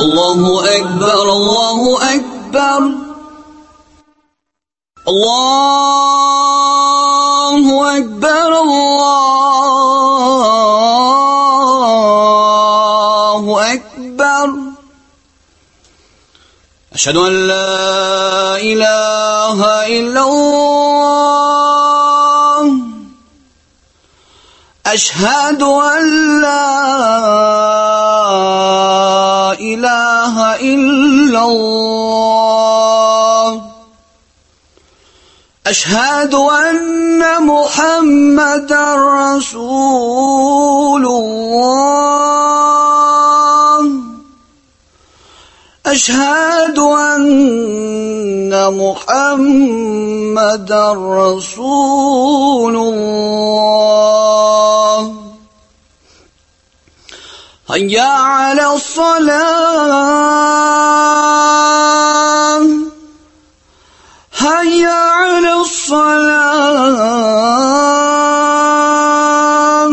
Allahu Ekber, Allahu Ekber. Allahu Ekber, Allahu Ekber. Eşhedü en la ilahe illallah. Eşhedü en la ilahe illallah. Eşhedü enne Muhammeden Resulullah. Eşhedü enne Muhammeden Resulullah. Hayya alas-salah. Hayya alas-salah.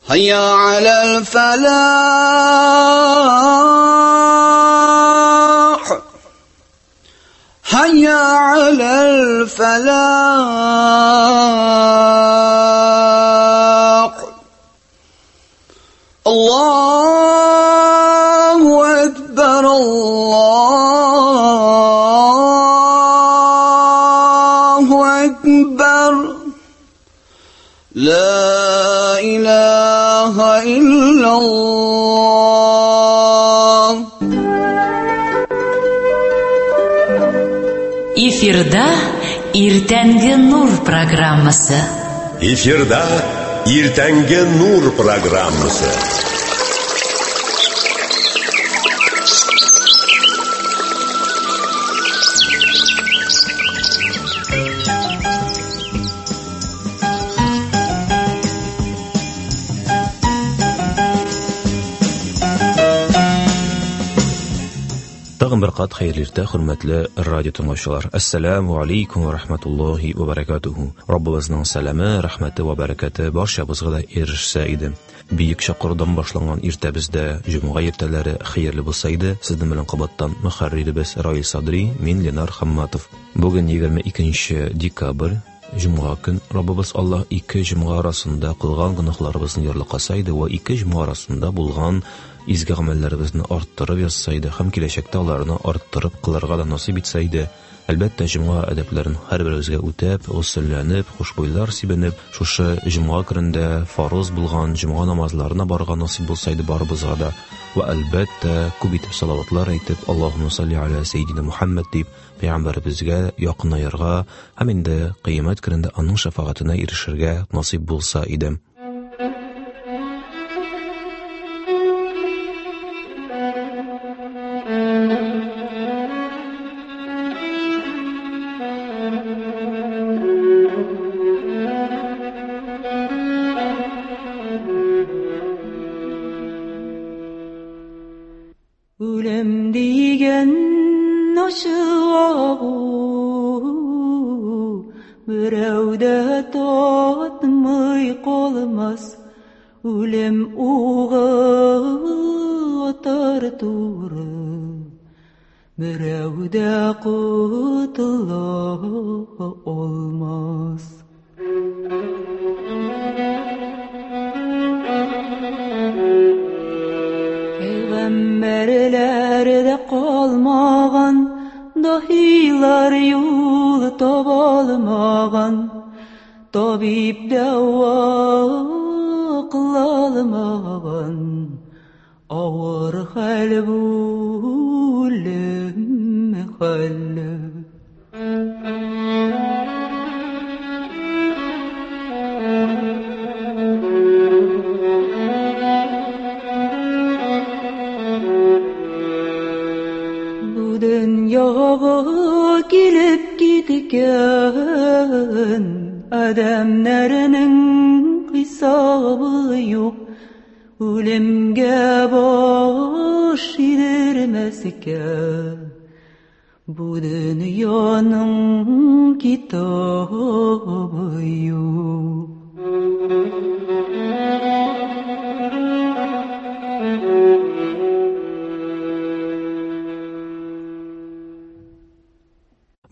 Hayya alal-falah. Hayya alal-falah. Allahu Ekber, Allahu Ekber. La ilahe illallah. Эфирда Иртәнге Нур программасы. Эфирда Иртәнге Нур программасы. Тагын бер кат хәерле иртә, хөрмәтле радио тыңлаучылар. Ассаламу алейкум ва рахматуллахи ва баракатуху. Раббыбызның сәламе, рәхмәте ва бәрәкәте барчабызга да ирешсә иде. Бөек чакырудан башланган иртәбездә җомга иртәләре хәерле булса иде. Сезнең белән кабаттан мөхәрриребез Раил Садри, мин Ленар Хамматов. Бүген 22 декабрь, җомга көн. Раббыбыз Аллаһ ике җомга арасында кылган гөнаһларыбызны ярлыкаса иде ва ике җомга арасында булган изге гамәлләребезне арттырып язса иде һәм киләчәктә аларны арттырып кылырга да насыйп итсә иде. Әлбәттә, җомга әдәпләрен һәрберебезгә үтәп, госелләнеп, хушбуйлар сибенеп, шушы җомга көнендә фарыз булган җомга намазларына барырга насыйп булса иде барыбызга да. Ва әлбәттә, күп итеп салаватлар әйтеп, Аллаһумма салли аля саййидина Мухаммад дип, пәйгамбәребезгә якынаерга һәм инде кыямәт көнендә аның шәфәгатенә ирешергә насыйп булса иде. Үлем дигән ачы агу берәү дә татмый калмас. Үлем угы атар туры, берәү дә котыла алмас. Пәйгамбәрләр дә калмаган, даһилар юл таба алмаган, табиб дәва кыла алмаган. Авыр хәл бу үлем хәле. Бу дөньяга килеп киткән адәмнәрнең хисабы юк. Үлемгә баш идермәскә бу дөньяның китабы юк.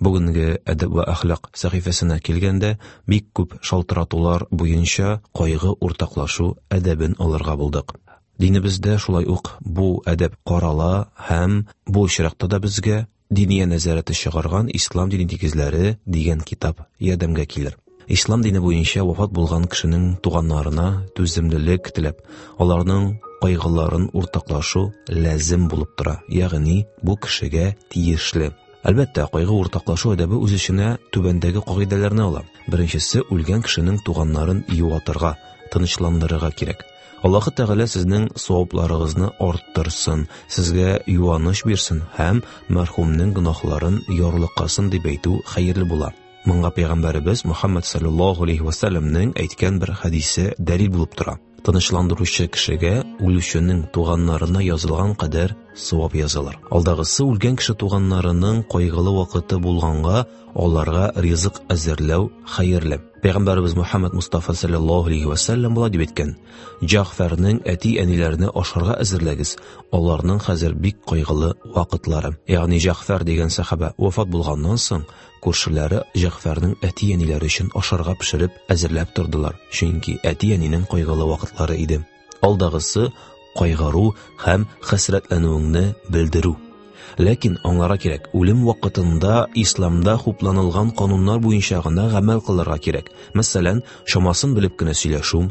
Бүгенге әдәп вә әхлак сәхифәсенә килгәндә, бик күп шалтыратулар буенча кайгы уртаклашу әдәбен алырга булдык. Динебездә шулай ук бу әдәп карала һәм бу очракта да безгә Диния нәзарәте чыгарган Ислам дине нигезләре дигән китап ярдәмгә килер. Ислам дине буенча вафат булган кешенең туганнарына түземлелек теләп, аларның кайгыларын уртаклашу ләзем булып тора, ягъни бу кешегә тиешле. Әлбәттә, кайгы уртаклашу әдәбе үз эченә түбәндәге кагыйдәләрне ала. Беренчесе, үлгән кешенең туганнарын юатырга, тынычландырырга кирәк. Аллаһы Тәгалә сезнең савапларыгызны арттырсын, сезгә юаныч бирсен һәм мәрхүмнең гөнаһларын ярлыкасын дип әйтү хәерле була. Моңа пәйгамбәребез Мухаммад саллаллаһу алейхи ва сәлләмнең әйткән бер хәдисе дәлил булып тора. Тынычландыручы кешегә үлүченең туганнарына язылган кадәр савап язылыр. Алдагысы үлгән кеше туганнарының кайгылы вакыты булганга, аларга ризык әзерләү хәерле. Пәйгамбәребез Мухаммад Мустафа саллаллаһу алейхи ва сәлләм болай дип әйткән: "Җәгъфәрнең әти-әниләренә ашарга әзерләгез, аларның хәзер бик кайгылы вакытлары." Ягъни Җәгъфәр дигән сәхабә вафат булганнан соң, күршеләре Җәгъфәрнең әти-әниләре өчен ашарга пешереп әзерләп тордылар, чөнки әти-әнинең кайгылы вакытлары иде. Алдагысы кайгыру һәм хәсрәтләнүеңне белдерү. Ләкин аңларга кирәк, үлем вакытында исламда хупланылган кануннар буенча гына гамәл кылырга кирәк. Мәсәлән, чамасын белеп кенә сөйләшү,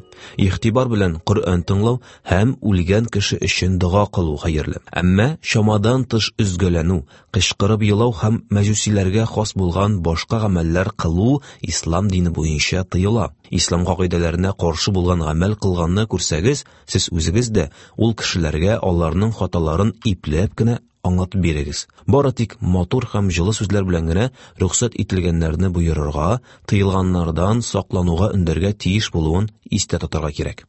игътибар белән Коръән тыңлау һәм үлгән кеше өчен дога кылу хәерле. Әмма чамадан тыш өзгәләнү, кычкырып елау һәм мәҗүсиләргә хас булган башка гамәлләр кылу ислам дине буенча тыела. Ислам кагыйдәләренә каршы булган гамәл кылганны күрсәгез, сез үзегез дә ул кешеләргә аларның хаталарын ипләп кенә аңлатып бирегез. Бары тик матур һәм җылы сүзләр белән генә рөхсәт ителгәннәрне боерырга, тыелганнардан саклануга өндәргә тиеш булуын истә тотарга кирәк.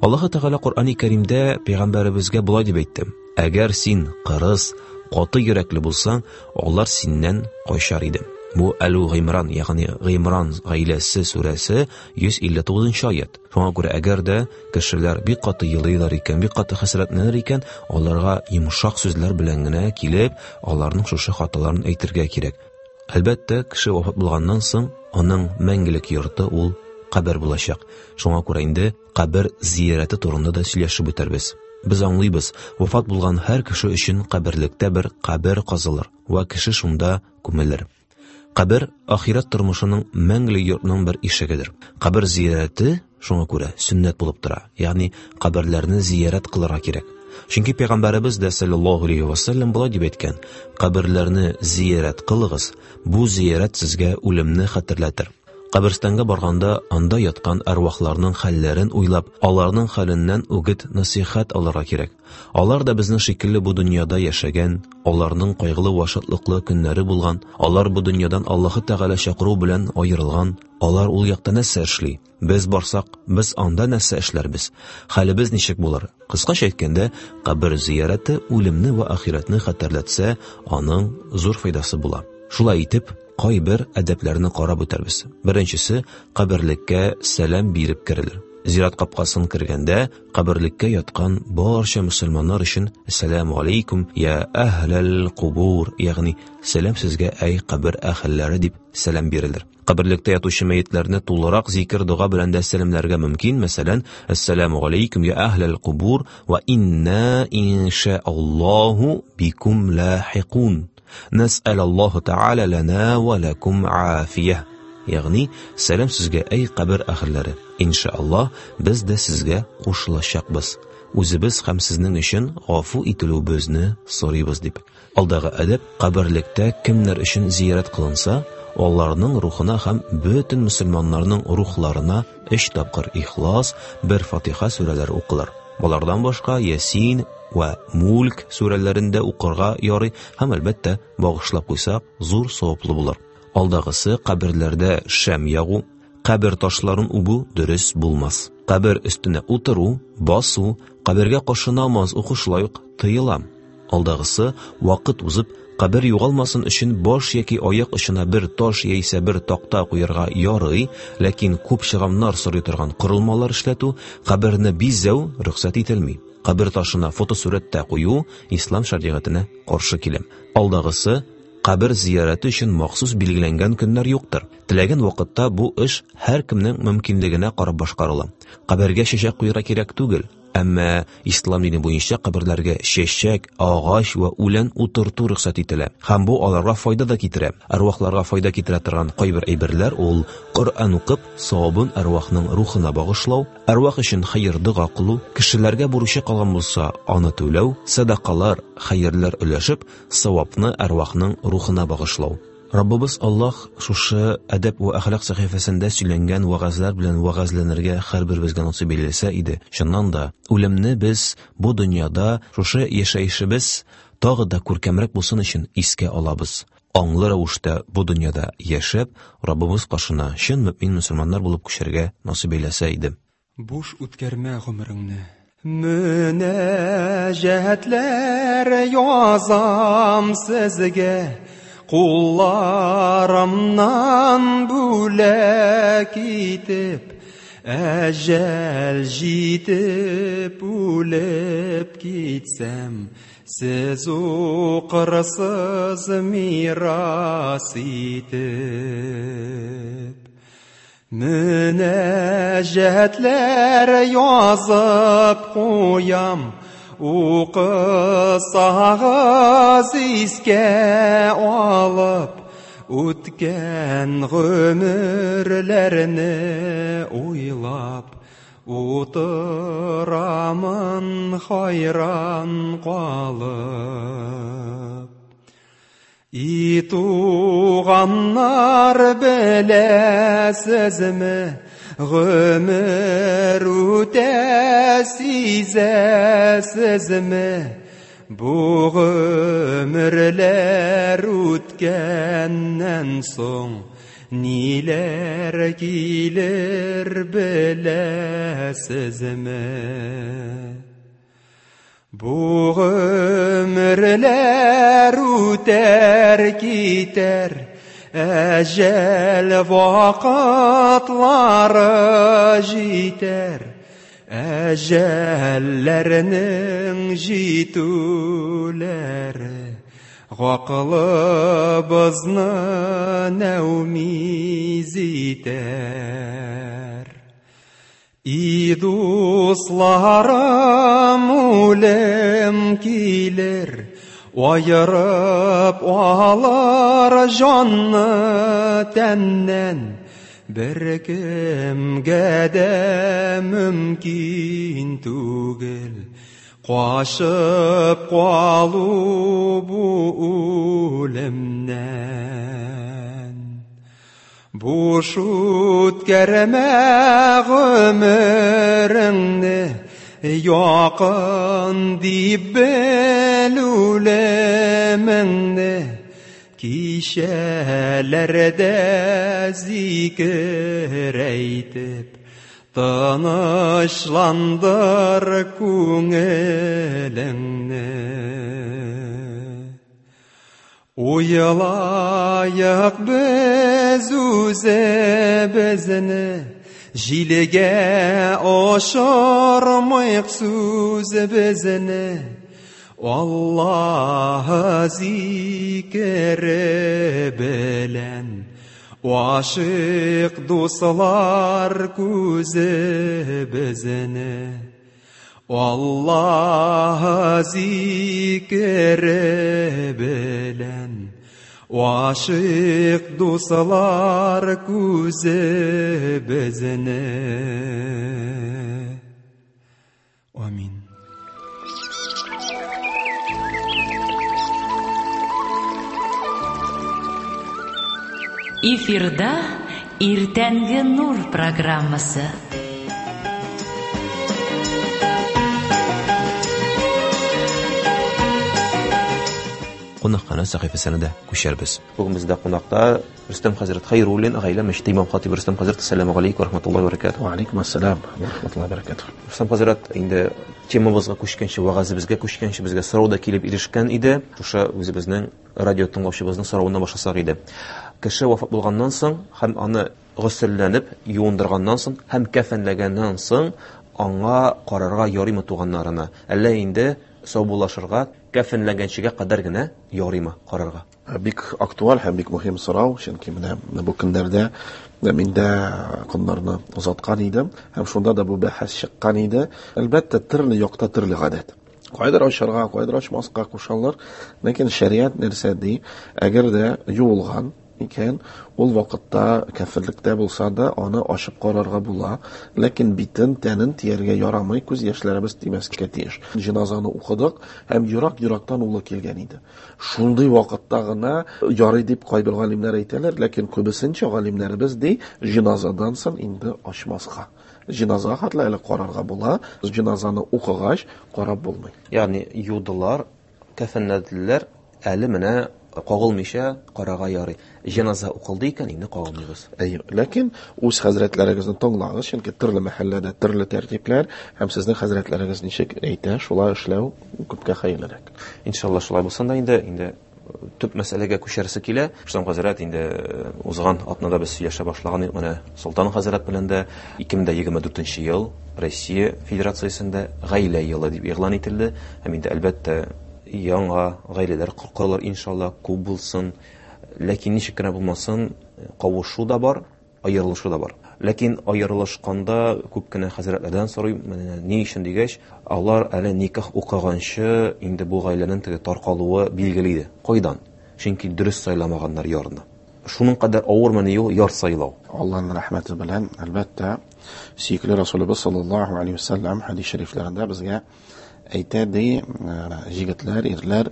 Аллаһы Тәгалә Коръәни Кәримдә пәйгамбәребезгә болай дип әйтте: "Әгәр син кырыс, каты йөрәкле булсаң, алар синнән качар иде." Бу Әлу Гыймран, ягъни Гыймран гаиләсе сүрәсе 159 аят. Шуңа күрә әгәр дә кешеләр бик каты елыйлар икән, бик каты хәсрәтләнер икән, аларга йомшак сүзләр белән генә килеп, аларның шушы хаталарын әйтергә кирәк. Әлбәттә, кеше вафат булганнан соң, аның мәңгелек йорты ул кабер булачак. Шуңа күрә инде кабер зиярәте турында да сөйләшеп үтәрбез. Без аңлыйбыз, вафат булган һәр кеше өчен каберлектә бер кабер казылыр вә кеше шунда күмелер. Кабер ахирәт тормышының мәңгелек йортның бер ишегедер. Кабер зиярәте шуңа күрә сөннәт булып тора. Ягъни каберләрне зиярәт кылырга кирәк. Чөнки пәйгамбәребез дә саллаллаһу алейхи ва саллям болай дип әйткән: "Каберләрне зиярәт кылыгыз, бу зиярәт сезгә үлемне хәтерләтер." Каберстанга барганда анда яткан әрвахларның хәлләрен уйлап, аларның хәленнән үгет насыйхәт алырга кирәк. Алар да безнең шикелле бу дөньяда яшәгән, аларның кайгылы вә шатлыклы көннәре булган, алар бу дөньядан Аллаһы Тәгалә чакыру белән аерылган, алар ул якта нәрсә эшли? Без барсак, без анда нәрсә эшләрбез? Хәлебез ничек булыр? Кыскача әйткәндә, кабер зиярәте үлемне вә ахирәтне хәтерләтсә, аның зур файдасы була. Шулай итеп, кайбер әдәпләрне карап үтәрбез. Беренчесе, каберлеккә сәлам биреп керелер. Зират капкасын кергәндә, каберлеккә яткан барча мөселманнар өчен Әссәламү алейкум я әһләл кубур, ягъни сәлам сезгә, әй кабер әһелләре дип сәлам бирелер. Каберлектә ятучы мәетләрне тулырак зикер-дога белән дә сәламләргә мөмкин, мәсәлән, Әссәламү алейкум я әһләл кубур ва инна иншааллаһу бикум лахикун. Нәсәл Аллаһу Тәгалә ләнә вә ләкум афия. Ягъни, сәлам сезгә, әй кабер әһелләре. Иншааллаһ, без дә сезгә кушылачакбыз. Үзебез һәм сезнең өчен гафу ителүебезне сорыйбыз дип. Алдагы әдәп каберлектә кемнәр өчен зиярәт кылынса, аларның рухына һәм бөтен мөселманнарның рухларына өч тапкыр Ихлас, бер Фатиха сүрәләре укылыр. Болардан башка Ясин вә Мульк сүрәләрен дә укырга ярый һәм, әлбәттә, багышлап куйсак, зур саваплы булыр. Алдагысы каберләрдә шәм ягу, кабер ташларын үбү дөрес булмас. Кабер өстенә утыру, басу, кабергә каршы намаз уку шулай ук тыела. Алдагысы, вакыт узып, кабер югалмасын өчен баш яки аяк очына бер таш яисә бер такта куярга ярый, ләкин күп чыгымнар сорый торган корылмалар эшләтү, каберне бизәү рөхсәт ителми. Кабер ташына фотосурәт тә кую ислам шәригатенә каршы килә. Алдагысы, Кабер зиярәте өчен махсус билгеләнгән көннәр юктыр. Теләгән вакытта бу эш һәркемнең мөмкинлегенә карап башкарыла. Кабергә чәчәк куярга кирәк түгел, әмма ислам дине буенча каберләргә чәчәк, агач вә үлән утырту рөхсәт ителә. Һәм бу аларга файда да китерә. Әрвахларга файда китерә торган кайбер әйберләр ул Коръән укып, савабын әрвахның рухына багышлау, әрвах өчен хәер дога кылу, кешеләргә бурычы калган булса, аны түләү, сәдакалар, хәерләр өләшеп, савапны әрвахның рухына багышлау. Раббыбыз Аллаһ шушы әдәп вә әхлак сәхифәсендә сөйләнгән вәгазьләр белән вәгазьләнергә һәрберебезгә насыйп әйләсә иде. Чыннан да, үлемне без бу дөньяда шушы яшәешебез тагы да күркәмрәк булсын өчен искә алабыз. Аңлы рәвештә бу дөньяда яшәп, Раббыбыз каршына чын мөэмин мөселманнар булып күчәргә насыйп әйләсә иде. Буш үткәрмә гомереңне. Мөнәҗәтләр язам сезгә, кулларымнан бүләк итеп, әҗәл җитеп үлеп китсәм, сез укырсыз мирас итеп. Мөнәҗәтләр язып куям, укысагыз искә алып, үткән гомерләрне уйлап, утырамын хайран калып. И туганнар, беләсезме, гомер үтә, сизәсезме? Бу гомерләр үткәннән соң ниләр килер, беләсезме? Бу гомерләр үтәр китәр, әҗәл вакытлары җитәр, әҗәлләрнең җитүләре гакылыбызны нәүмиз итәр. И дусларым, үлем килер, аерып алыр җанны тәннән, бер кемгә дә мөмкин түгел качып калу бу үлемнән. Буш үткәрмә гомереңне, якын дип бел үлемеңне, кичәләрдә зикер әйтеп, тынычландыр күңелеңне. Уйлайык без үзебезне, җилгә очырмыйк сүзебезне, Аллаһ зикере белән ачык дуслар күзебезне. Аллаһ зикере белән ачык дуслар күзебезне. Амин. Эфирда Иртәнге Нур программасы. Кунакханә сәхифәсенә дә күчәрбез. Бүген бездә кунакта Рөстәм хәзрәт Хәйруллин, гаилә мәчете имам хатибы Рөстәм хәзрәт. Ассаламу алейкум ва рахматуллаһи ва баракатуһ. Ва алейкум ассалам ва рахматуллаһи ва баракатуһ. Рөстәм хәзрәт, инде темабызга күчкәнче, вәгазебезгә күчкәнче безгә сорау да килеп ирешкән иде. Шушы үзебезнең радио тыңлаучыбызның соравыннан башласак иде. Кеше вафат булганнан соң һәм аны госелләнеп юындырганнан соң һәм кәфенләгәннән соң аңа карарга ярыймы туганнарына? Әллә инде Саубуллашырга, кәфенләнгәнчегә кадәр генә ярыймы карарга? Бик актуаль һәм бик мөһим сорау, чөнки менә бу көннәрдә мин дә көннәрне озаткан идем һәм шунда да бу бәхәс чыккан иде. Әлбәттә, төрле якта төрле гадәт. Кайдыр ачарга, кайдыр ачмаска кушалар. Ләкин шәриат нәрсә ди? Әгәр дә юылган икән, ул вакытта кәферлектә булса да, аны ачып карарга була. Ләкин битен, тәнен тияргә ярамый, күз яшьләребез тимәскә тиеш. Җеназаны укыдык һәм ерак-ерактан улы килгән иде. Шундый вакытта гына ярый дип кайбер галимнәр әйтәләр, ләкин күбесенчә галимнәребез ди, җеназадан соң инде ачмаска. Җеназага хәтле әле карарга була, җеназаны укыгач карап булмый. Ягъни юдылар, кәфенләделәр, әле менә кагылмыйча карарга ярый. Җеназа укылды икән, инде кагылмыйбыз. Әйе, ләкин үз хәзрәтләрегезне тыңлагыз, чөнки төрле мәхәлләдә төрле тәртипләр һәм сезнең хәзрәтләрегез ничек әйтә, шулай эшләү күпкә хәерлерәк. Иншалла шулай булсын да инде төп мәсьәләгә күчәрсе килә. Рөстәм хәзрәт, инде узган атнада без сөйләшә башлаган идек, менә Солтан хәзрәт белән дә 2024 ел Россия Федерациясендә гаилә елы дип игълан ителде. Һәм инде әлбәттә яңа гаиләләр корылыр иншалла, күп булсын. Ләкин ничек кенә булмасын, кавышу да бар, аерылышу да бар. Ләкин аерылышканда күп кенә хәзрәтләрдән сорыйм, менә ни өчен дигәч, алар әле никах укыганчы инде бу гаиләнең теге таркалуы билгеле иде. Кайдан? Чөнки дөрес сайламаганнар ярны. Шуның кадәр авырмыни ул яр сайлау? Аллаһның рәхмәте белән, әлбәттә, сөекле Расулыбыз саллаллаһу алейһи ва саллям хәдис шәрифләрендә безгә әйтә ди, җегетләр, ирләр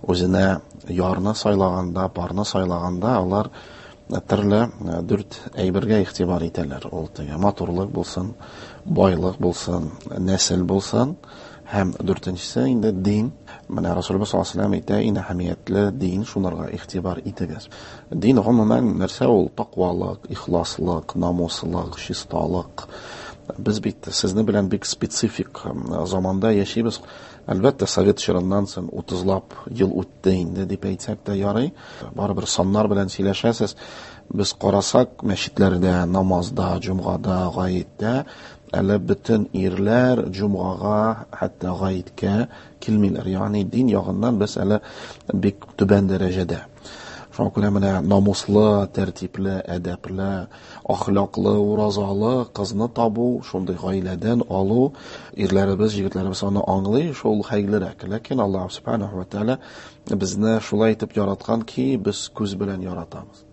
үзенә ярны сайлаганда, парны сайлаганда алар төрле дүрт әйбергә игътибар итәләр. Ул теге матурлык булсын, байлык булсын, нәсел булсын һәм дүртенчесе инде дин. Менә Расулыбыз саллаллаһу алейһи ва саллям әйтә, иң әһәмиятле дин, шунарга игътибар итегез. Дин гомумән нәрсә ул? Тәкъвалык, ихласлык, намуслык, чисталык. Без бит сезне белән бик специфик заманда яшибез. Әлбәттә, совет чорыннан соң 30лап ел үтте инде дип әйтсәк тә ярый. Барыбер саннар белән сөйләшәсез. Без карасак, мәчетләрдә, намазда, җомгада, гаеттә әле бөтен ирләр җомгага, хәтта гаеткә килмиләр. Ягъни дин ягыннан без әле бик түбән дәрәҗәдә. Шуңа күрә менә намуслы, тәртипле, әдәпле, ахлаклы, уразалы кызны табу, шундый гаиләдән алу, ирләребез, егетләребез аны аңлый, шул хәерлерәк. Ләкин Аллаһ субханаһу ва тааля безне шулай итеп яраткан ки, без күз белән яратабыз.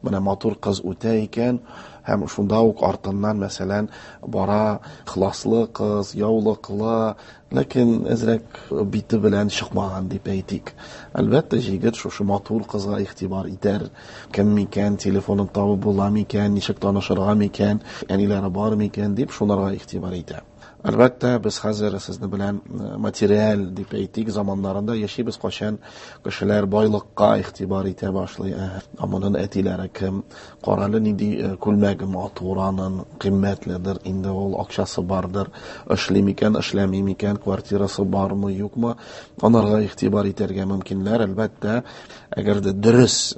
Менә матур кыз үтә икән, һәм шунда ук артыннан, мәсәлән, бара ихласлы кыз, яулыклы, ләкин әзрәк бите белән чыкмаган дип әйтик. Әлбәттә, җегет шушы матур кызга игътибар итәр. Кем микән, телефонын табып була микән, ничек танышырга микән, әниләре бар микән дип шунарга игътибар итә. Әлбәттә, без хәзер сезне белән материаль дип әйтик заманнарында яшибез, кайчан кешеләр байлыкка игътибар итә башлый. Ә моның әтиләре кем? Карале, нинди күлмәге матур аның, кыйммәтледер, инде ул акчасы бардыр, эшли микән, эшләми микән, квартирасы бармы, юкмы? Анарга игътибар итәргә мөмкиннәр. Әлбәттә, әгәр дә дөрес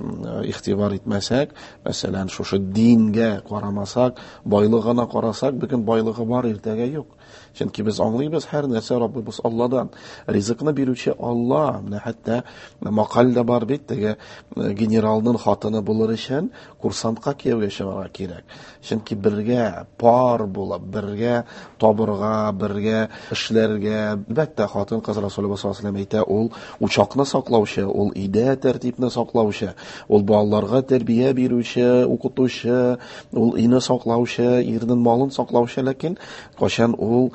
игътибар итмәсәк, мәсәлән, шушы дингә карамасак, байлыгына карасак, бүген байлыгы бар, иртәгә юк. Чөнки без аңлыйбыз, һәр нәрсә Раббыбыз Алладан. Ризыкны бирүче Алла. Менә хәтта макал да бар бит, теге генералның хатыны булыр өчен курсантка кияүгә чыгарга кирәк. Чөнки бергә пар булып, бергә табырга, бергә эшләргә. Әлбәттә, хатын-кыз Расулыбыз саллаллаһу алейһи ва саллям әйтә, ул учакны саклаучы, ул өйдә тәртипне саклаучы, ул балаларга тәрбия бирүче, укытучы, ул өйне саклаучы, ирнең малын саклаучы, ләкин кайчан ул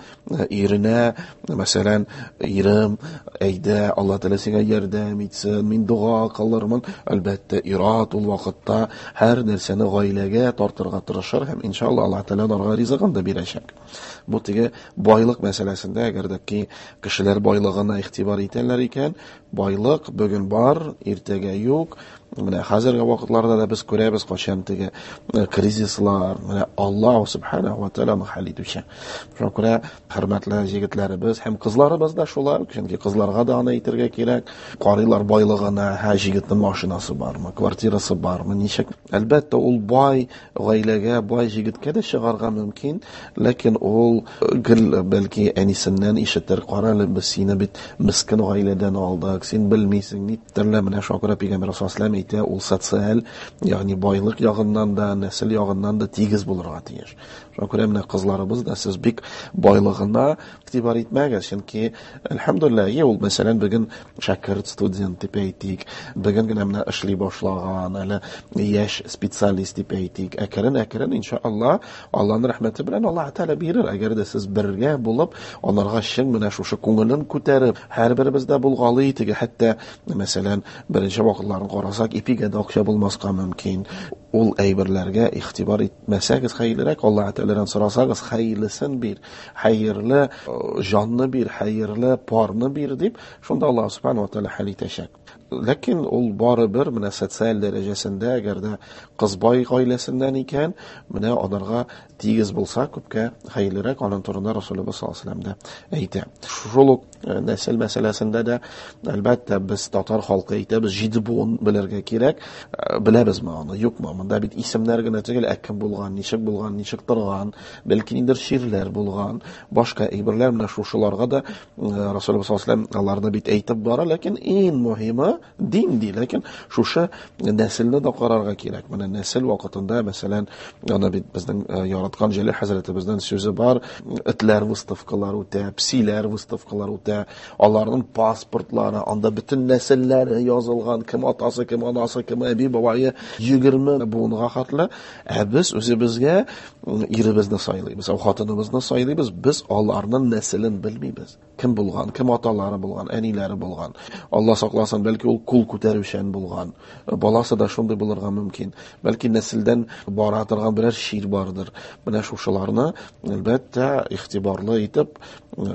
иренә, мәсәлән, ирем, әйдә, Алла Тәгалә сиңа ярдәм итсен, мин дога кылырмын, әлбәттә, ир-ат ул вакытта һәр нәрсәне гаиләгә тартырга тырышыр һәм иншалла Алла Тәгалә аларга ризыгын да бирәчәк. Бу теге байлык мәсьәләсендә, әгәр дә ки кешеләр байлыгына игътибар итәләр икән, байлык бүген бар, иртәгә юк. Менә хәзерге вакытларда да без күрәбез, кайчан теге кризислар, менә Аллаһ субханаһу ва тааля хәл итүче. Шуңа күрә хөрмәтле җегетләребез һәм кызларыбыз да шулай, чөнки кызларга да аны әйтергә кирәк. Карыйлар байлыгына, һә җегетнең машинасы бармы, квартирасы бармы, ничек. Әлбәттә, ул бай гаиләгә, бай җегеткә дә чыгарга мөмкин, ләкин ул гел бәлки әнисеннән ишетер, кара әле, без сине бит мескен гаиләдән алдык, син белмисең, ни төрле. Менә шуңа күрә Пәйгамбәр саллаллаһу алейһи әйтә, ул социаль, ягъни байлык ягыннан да, нәсел ягыннан да тигез булырга тиеш. Шуңа күрә менә кызларыбыз да сез бик байлыгына игътибар итмәгез, чөнки әлхәмдүлилләһ, ул мәсәлән бүген шәкерт студент дип әйтик, бүген генә менә эшли башлаган, әле яшь специалист дип әйтик. Әкрен-әкрен иншалла Аллаһның рәхмәте белән Аллаһ Тәгалә бирер. Әгәр дә сез бергә булып, аларга чын менә шушы күңелен күтәреп, һәрберебездә булгалый теге, хәтта мәсәлән, беренче вакытларын карасак, ипигә дә акча булмаска мөмкин. Ул әйберләргә игътибар итмәсәгез хәерлерәк, Аллаһ Тәгаләдән сорасагыз, хәерлесен бир, хәерле җанны бир, хәерле парны бир дип, шунда Аллаһ Субхану ва Тәгалә хәл итәчәк. Ләкин ул барыбер менә социаль дәрәҗәсендә, әгәр дә кыз бай гаиләсеннән икән, менә аларга тигез булса, күпкә хәерлерәк, аның турында Расулыбыз саллаллаһу алейһи ва сәлләм дә әйтә. Шул ук нәсел мәсьәләсендә дә, әлбәттә, без татар халкы әйтәбез, 7 буын белергә кирәк. Беләбезме аны, юкмы? Монда бит исемнәр генә түгел, ә кем булган, ничек булган, ничек торган, бәлки ниндидер чирләр булган, башка әйберләр, менә шушыларга да Расулыбыз саллаллаһу алейһи ва сәлләм аларны бит әйтеп бара, ләкин иң мөһиме дин ди, ләкин шушы нәселне дә карарга кирәк. Менә нәсел вакытында, мәсәлән, аны бит безнең яраткан Җәлил хәзрәтебезнең сүзе бар, этләр выставкалар үтә, псиләр выставкалар үтә, аларның паспортлары, анда бөтен нәселләре язылган, кем атасы, кем анасы, кем әби бабайы, 20 буынга хәтле. Ә без үзебезгә иребезне сайлыйбыз, хатыныбызны сайлыйбыз, без аларның нәселен белмибез. Кем булган, кем аталары булган, әниләре булган. Алла сакласын, бәлки ул кул күтәрүчән булган. Баласы да шундый булырга мөмкин. Бәлки нәселдән бара торган берәр чир бардыр. Менә шушыларны, әлбәттә, игътибарлы итеп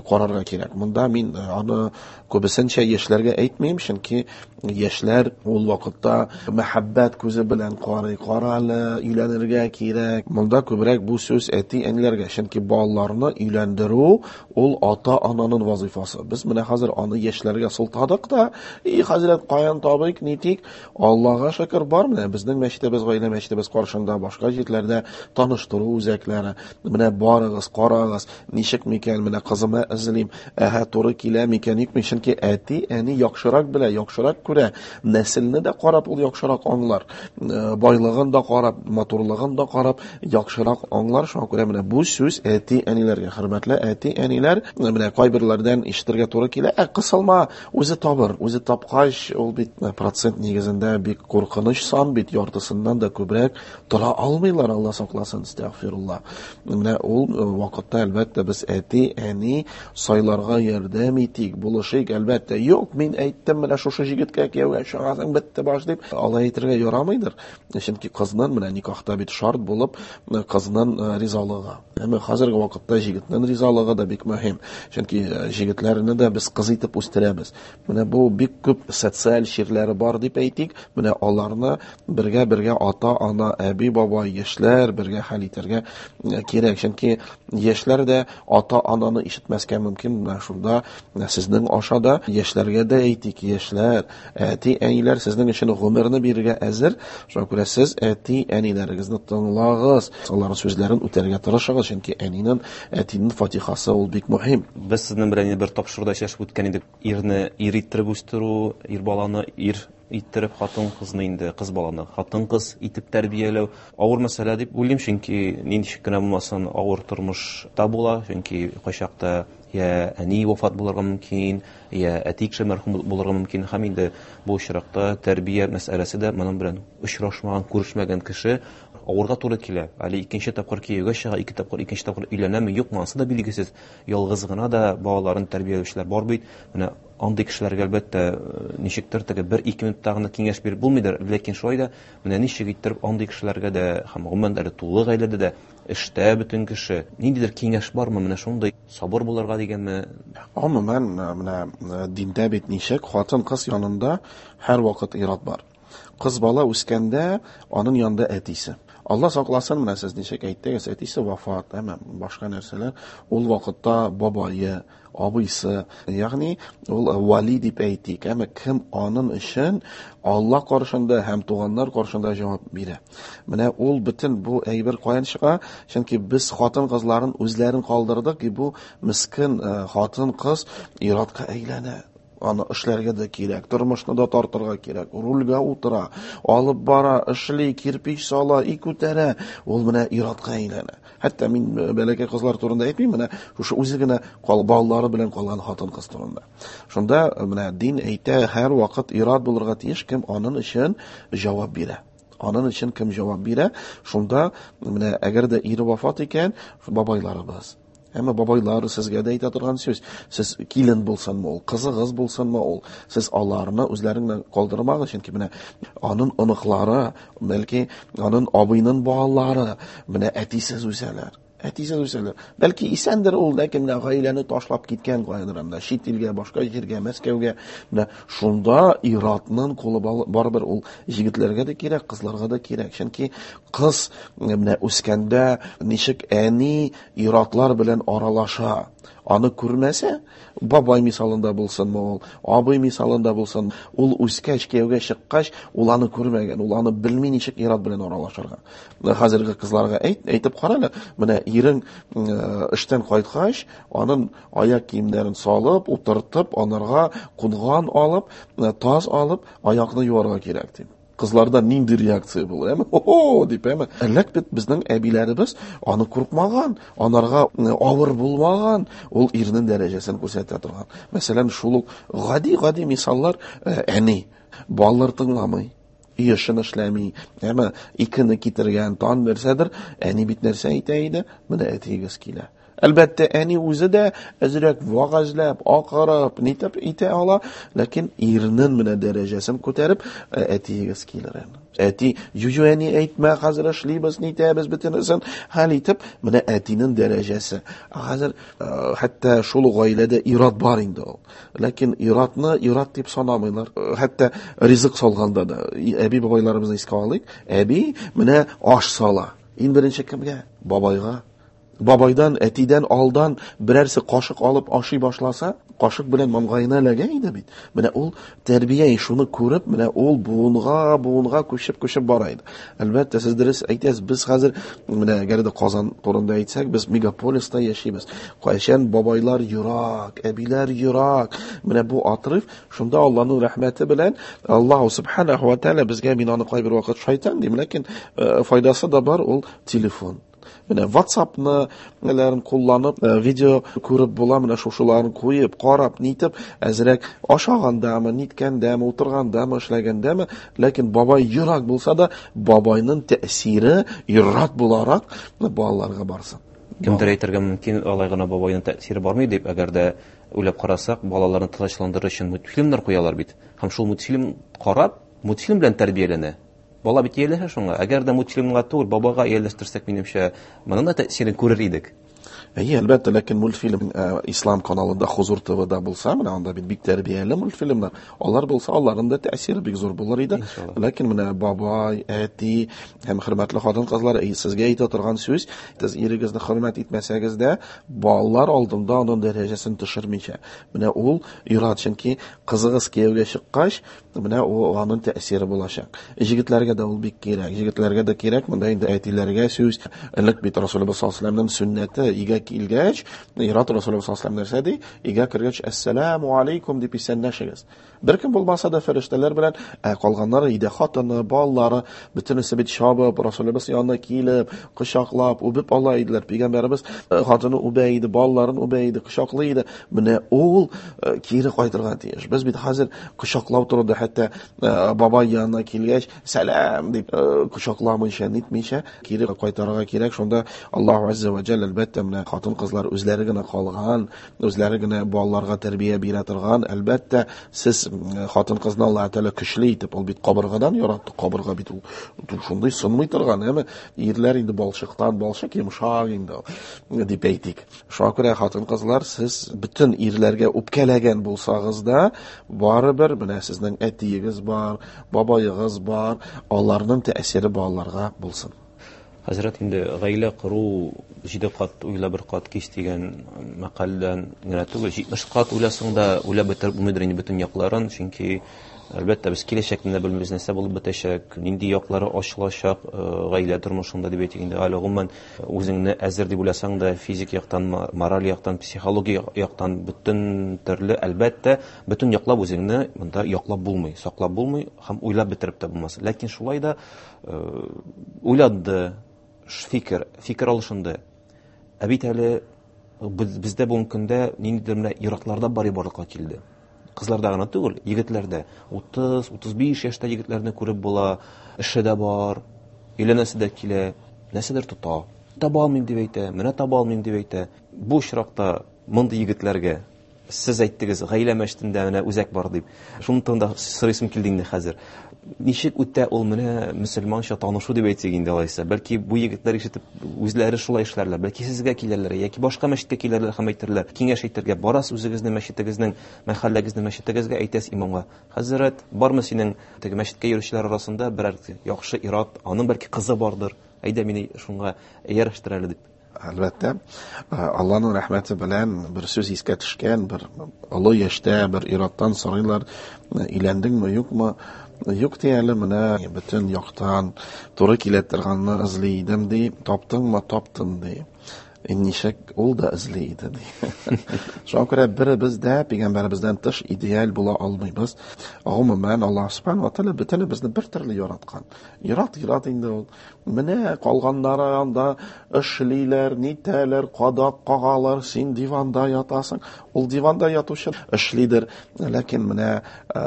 карарга кирәк. Монда мин аны күбесенчә яшьләргә әйтмим, чөнки яшьләр ул вакытта мәхәббәт күзе белән карый, кара әле, өйләнергә кирәк. Монда күбрәк бу сүз әти-әниләргә, чөнки балаларны өйләндерү ул ата-ананың вазифасы. Без менә хәзер аны яшьләргә сылтадык та, и хәзрәт, каян табыйк, нитик? Аллага шөкер, бар менә безнең мәчетебез, гаилә мәчетебез каршында, башка җирләрдә таныштыру үзәкләре. Менә барыгыз, карагыз, ничек микән, менә кызыма эзлим, әһә, туры килә микән, юкмы? Чөнки әти-әни яхшырак белә, яхшырак күрә, нәселне дә карап ул яхшырак аңлар, байлыгын да карап, матурлыгын да карап яхшырак аңлар. Шуңа күрә менә бу сүз әти-әниләргә, хөрмәтле әти-әниләр, менә кайберләрдән ишетергә туры килә, ә кысылма, үзе табыр, үзе тапкач, ул бит процент нигезендә бик куркыныч сан бит, яртысыннан да күбрәк тора алмыйлар, Алла сакласын, астагфирулла. Менә ул вакытта, әлбәттә, без әти-әни сайларга ярдәм итик, булышыйк, әлбәттә. Юк, мин әйттем, менә шушы җегеткә кияүгә чыгасың, бетте баш дип, алай әйтергә ярамыйдыр. Чөнки кызның менә никахта бит шарт булып, кызның ризалыгы. Әмма хәзерге вакытта җегетнең ризалыгы да бик мөһим. Чөнки җегетләрне дә без кыз итеп үстерәбез. Менә бу бик күп социаль чирләре бар дип әйтик. Менә аларны бергә-бергә ата-ана, әби-бабай, яшьләр бергә хәл итәргә кирәк. Чөнки яшьләр дә ата-ананы ишетмәскә мөмкин. Менә шунда сезнең аша да яшьләргә дә әйтик, яшьләр, әти-әниләр сезнең өчен гомерне бирергә әзер. Шуңа күрә сез әти-әниләрегезне тыңлагыз, аларның сүзләрен үтәргә тырышыгыз, чөнки әнинең, әтинең фатихасы ул бик мөһим. Без сезнең белән бер тапшыруда сөйләшеп үткән идек. Ирне ир иттереп үстерү, ир баланы ир иттереп, хатын-кызны инде кыз баланы хатын-кыз итеп тәрбияләү авыр мәсьәлә дип уйлыйм, чөнки ничек кенә булмасын авыр тормышта була, чөнки кайчакта я әни вафат булырга мөмкин, я әти кеше мәрхүм булырга мөмкин, һәм инде бу очракта тәрбия мәсьәләсе дә моның белән очрашмаган, күрешмәгән кеше авырга туры килә. Әле икенче тапкыр кияүгә чыга, ике тапкыр, икенче тапкыр өйләнәме, юкмы, анысы да билгесез. Ялгыз гына да балаларын тәрбияләүчеләр бар бит. Менә андый кешеләргә, әлбәттә, ничектер теге бер-ике минутта гына киңәш биреп булмыйдыр, ләкин шулай да менә ничек иттереп андый кешеләргә дә һәм гомумән әле тулы гаиләдә дә эштә бөтен кеше, ниндидер киңәш бармы, менә шундый сабыр булырга дигәнме? Гомумән, менә диндә бит ничек, хатын-кыз янында һәрвакыт ир-ат бар. Кыз бала үскәндә аның янында әтисе. Алла сакласын, менә сез ничек әйттегез, әтисе вафат, әмма башка нәрсәләр, ул вакытта бабае, абыйсы, ягъни ул вали дип әйтик, әмма кем аның өчен Алла каршында һәм туганнар каршында җавап бирә. Менә ул бөтен бу әйбер каян чыга? Чөнки без хатын-кызларын үзләрен калдырдык, и бу мискен хатын-кыз ир-атка әйләнә. Аны эшләргә дә кирәк, тормышны да тартырга кирәк, рульгә утыра, алып бара, эшли, кирпич сала, и күтәрә, ул менә ир-атка әйләнә. Хәтта мин бәләкәй кызлар турында әйтмим, менә шушы үзе генә балалары белән калган хатын-кыз турында. Шунда менә дин әйтә, һәр вакыт ир-ат булырга тиеш, кем аның өчен җавап бирә. Аның өчен кем җавап бирә? Шунда менә әгәр дә ире вафат икән, бабайларыбыз. Әмма бабайлар сезгә дә әйтә торган сүз. Сез килен булсынмы ул, кызыгыз булсынмы ул, сез аларны үзләреңнән калдырмагыз, чөнки менә аның оныклары, бәлки аның абыйның балалары менә әтисез үсәләр. Әтисез үсәләр. Бәлки исәндер ул, ләкин менә гаиләне ташлап киткән каядыр, менә чит илгә, башка җиргә, Мәскәүгә. Менә шунда ир-атның кулы барыбер ул егетләргә дә кирәк, кызларга да кирәк. Чөнки кыз менә үскәндә ничек әни ир-атлар белән аралаша, аны күрмәсә, бабай мисалында булсынмы ул, абый мисалында булсын, ул үскәч, кияүгә чыккач, ул аны күрмәгән, ул аны белми ничек ир-ат белән аралашырга. Хәзерге кызларга әйтеп кара әле, менә ирең эштән кайткач, аның аяк киемнәрен салып, утыртып, анарга кунган алып, таз алып, аякны юарга кирәк дип. Кызларда нинди реакция була, әме? Хо-хо, дип, әме? Элек бит безнең әбиләребез аны куркмаган, анарга авыр булмаган, ул ирнең дәрәҗәсен күрсәтә торган. Мәсәлән, шул ук гади-гади мисаллар, әни, балалар тыңламый, өй эшен эшләми, әмма икене китергән, тан нәрсәдер, әни бит нәрсә әйтә иде? Менә әтиегез килә. Әлбәттә, әни үзе дә әзрәк вәгазьләп, акырып, нитеп итә ала, ләкин ирнең менә дәрәҗәсен күтәреп, әтиегез килер. Әти, ю-ю, әни, әйтмә, хәзер эшлибез, нитәбез, бөтенесен хәл итеп, менә әтинең дәрәҗәсе. Хәзер хәтта шул ук гаиләдә ир-ат бар инде ул. Ләкин ир-атны ир-ат дип санамыйлар. Хәтта ризык салганда да, әби-бабайларыбызны искә алыйк, әби менә аш сала. Иң беренче кемгә? Бабайга. Бабайдан, әтидән алдан берәрсе кашык алып ашый башласа, кашык белән маңгаена эләгә иде бит. Менә ул тәрбия, шуны күреп, менә ул буынга, буынга күчеп, күчеп бара иде. Әлбәттә, сез дөрес әйтәсез, без хәзер, менә әгәр дә Казан турында әйтсәк, без мегаполиста яшибез. Кайчан бабайлар ерак, әбиләр ерак. Менә бу отрыв, шунда Аллаһның рәхмәте белән Аллаһу субханаху ва тааля безгә, мин аны кайбер вакыт шайтан дим, ләкин файдасы да бар, ул телефон. Менә WhatsApp-ны неләрен кулланып, видео күреп була, менә шушыларын куеп, карап, нитеп, әзрәк ашагандамы, ниткәндәме, утыргандамы, эшләгәндәме, ләкин бабай ерак булса да, бабайның тәэсире ерак буларак балаларга барсын. Кемдер әйтергә мөмкин, алай гына бабайның тәэсире бармый дип, әгәр дә уйлап карасак, балаларны тынычландырыр өчен мультфильмнар куялар бит. Һәм шул мультфильм карап, мультфильм белән тәрбияләнә. Бала бит ияләшә шуңа. Әгәр дә мультфильмга түгел, бабага ияләштерсәк, минемчә, моның да тәэсирен күрер идек. Әйе, әлбәттә, ләкин мультфильм Ислам каналында, Хузур ТВ-да булса, менә анда бит бик тәрбияле мультфильмнар. Алар булса, аларның да тәэсире бик зур булыр иде. Иншалла. Ләкин менә бабай, әти һәм хөрмәтле хатын-кызлар, сезгә әйтә торган сүз, сез ирегезне хөрмәт итмәсәгез дә, балалар алдында аның дәрәҗәсен төшермичә. Менә ул ир-ат, чөнки кызыгыз кияүгә чыккач, менә ул аның тәэсире булачак. Җегетләргә дә ул бик кирәк. Җегетләргә дә кирәк, монда инде әтиләргә сүз. Элек бит Расулыбыз саллаллаһу алейһи ва сәлләмнең сөннәте, өйгә килгәч, ир-ат Расулыбыз саллаллаһу алейһи ва сәлләм нәрсә ди? Өйгә кергәч, әссәламу алейкум дип исәнләшегез. Бер кем булмаса да фәрештәләр белән, ә калганнары өйдә хатыны, балалары, бөтенесе бит чабып, Расулыбыз янына килеп, кочаклап, үбеп ала иделәр. Пәйгамбәребез хатыны үбә иде, балаларын үбә иде, кочаклый иде. Менә ул кире кайтырга тиеш. Без бит хәзер кочаклау турында хәтта бабай янына килгәч, сәлам дип кочакламыйча, нитмичә кире кайтарырга кирәк. Шунда Аллаһу азза ва җәллә әлбәттә менә хатын-кызлар үзләре генә калган, үзләре генә балаларга тәрбия бирә торган. Әлбәттә, сез хатын-кызны Аллаһ Тәгалә көчле итеп, ул бит кабыргадан яратты, кабырга бит ул шундый сынмый торган, әмма ирләр инде балчыктан, балчык йомшак инде дип әйтик. Шуңа күрә хатын-кызлар, сез бөтен ирләргә үпкәләгән булсагыз да, барыбер менә сезнең әтиегез бар, бабаегыз бар, аларның тәэсире балаларга булсын. Хәзрәт, инде гаилә кору 7 кат уйла, бер кат кис дигән мәкальдән генә түгел, 70 кат уйласаң да уйлап бетереп булмыйдыр инде бөтен якларын, чөнки әлбәттә без киләчәкне дә белмибез, нәрсә булып бетәчәк, нинди яклары ачылачак гаилә тормышында дип әйтик инде, әле гомумән үзеңне әзер дип уйласаң да, физик яктан, мораль яктан, психологик яктан бөтен төрле, әлбәттә, бөтен яклап үзеңне монда яклап булмый, саклап булмый һәм уйлап бетереп тә булмас. Ләкин шулай да уйланды, фикер алышынды. Ә бит әле бездә бүгенге көндә ниндидер менә ир-атларда бар барлыкка килде. Кызларда гына түгел, егетләрдә. 30-35 яшьтә егетләрне күреп була, эше дә бар, өйләнәсе дә килә, нәрсәдер тота. Таба алмыйм дип әйтә, менә таба алмыйм дип әйтә. Бу очракта мондый егетләргә сез әйттегез, гаилә мәчетендә менә үзәк бар дип. Шуның турында сорыйсым килде инде хәзер. Ничек үтә ул менә мөселманча танышу дип әйтсәк инде алайса? Бәлки бу егетләр ишетеп үзләре шулай эшләрләр, бәлки сезгә килерләр яки башка мәчеткә килерләр һәм әйтерләр, киңәш әйтергә барасыз үзегезнең мәчетегезнең, мәхәлләгезнең мәчетегезгә, әйтәсез имамга: "Хәзрәт, бармы синең теге мәчеткә йөрүчеләр арасында берәр яхшы ир-ат, аның бәлки кызы бардыр, әйдә мине шуңа иярәштер әле" дип. Әлбәттә, Алланың рәхмәте белән бер сүз искә төшкән, бер олы яшьтә бер ир-аттан сорыйлар, өйләндеңме, юкмы? Юк ди әле, менә бөтен яктан туры килә торганны эзли идем ди, таптыңмы, таптым ди. Ничек ул да эзли иде ди. Шуңа күрә беребез дә пәйгамбәребездән тыш идеаль була алмыйбыз. Гомумән, Аллаһ субхана ва тааля бөтенебезне бер төрле яраткан. Ярат, ярат инде ул. Менә калганнары анда эшлиләр, нитәләр, кадак кагалар, син диванда ятасың. Ул диванда ятучы эшлидер. Ләкин менә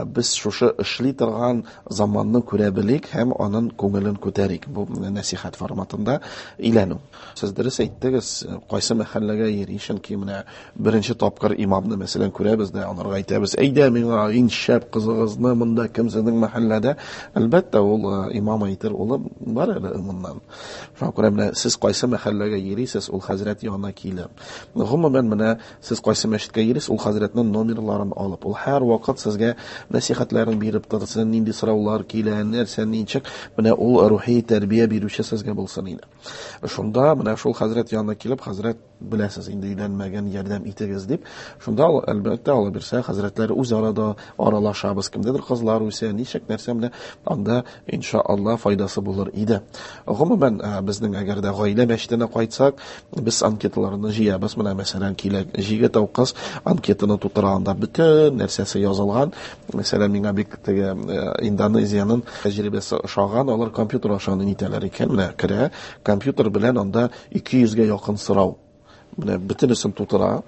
без шушы эшли торган заманны күрә белик һәм аның күңелен күтәрик. Бу нәсихәт форматында өйләнү. Сез дөрес әйттегез, кайсы мәхәлләгә йөри, чөнки менә беренче тапкыр имамны, мәсәлән, күрәбез дә, анарга әйтәбез, әйдә миңа иң шәп кызыгызны монда кем сезнең мәхәлләдә? Әлбәттә, ул имам әйтер, улым, бар әле моннан. Шуңа күрә менә сез кайсы мәхәлләгә йөрисез, ул хәзрәт янына килеп. Гомумән, менә сез кайсы мәчеткә йөрисез, ул хәзрәтнең номерларын алып, ул һәр вакыт сезгә нәсихәтләрен биреп торсын, нинди сораулар килә, нәрсә, ничек, менә ул рухи тәрбия бирүче сезгә булсын иде. Шунда менә шул хәзрәт янына килеп, хәзрәт, беләсез, инде өйләнмәгән, ярдәм итегез дип, шунда әлбәттә, ала бирсә, хәзрәтләр үз арада аралашабыз, кемдәдер кызлар үсә, ничек нәрсә менә анда иншалла файдасы булыр иде. Гомумән, безнең әгәр дә гаилә мәчетенә кайтсак, без анкеталарны җыябыз. Менә мәсәлән, килә җегет ау кыз анкетаны тутыра, анда бөтен нәрсәсе язылган. Мәсәлән, миңа бик теге Индонезиянең тәҗрибәсе ошаган, алар компьютер аша аны нитәләр икән, менә керә, компьютер белән анда 200гә якын сорау. Менә бөтенесен тутыра.